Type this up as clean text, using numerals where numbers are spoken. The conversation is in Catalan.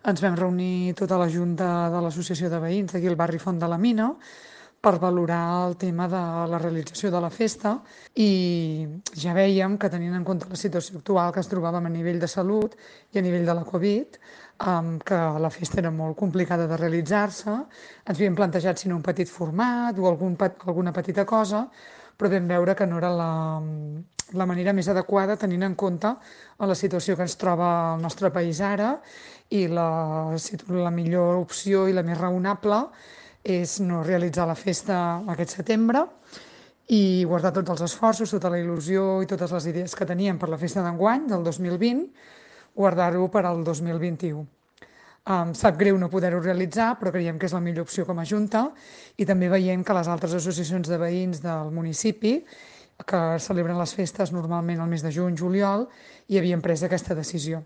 ens vam reunir tota la junta de l'Associació de Veïns d'aquí al barri Font de la Mina per valorar el tema de la realització de la festa i ja vèiem que tenint en compte la situació actual que ens trobàvem a nivell de salut i a nivell de la Covid, que la festa era molt complicada de realitzar-se, ens havíem plantejat si en un petit format o alguna petita cosa, però vam veure que no era la manera més adequada tenint en compte la situació que ens troba el nostre país ara i la millor opció i la més raonable és no realitzar la festa aquest setembre i guardar tots els esforços, tota la il·lusió i totes les idees que teníem per la festa d'enguany, del 2020, guardar-ho per al 2021. Sap greu no poder-ho realitzar, però creiem que és la millor opció com a Junta i també veiem que les altres associacions de veïns del municipi que celebren les festes normalment al mes de juny, juliol, i havien pres aquesta decisió.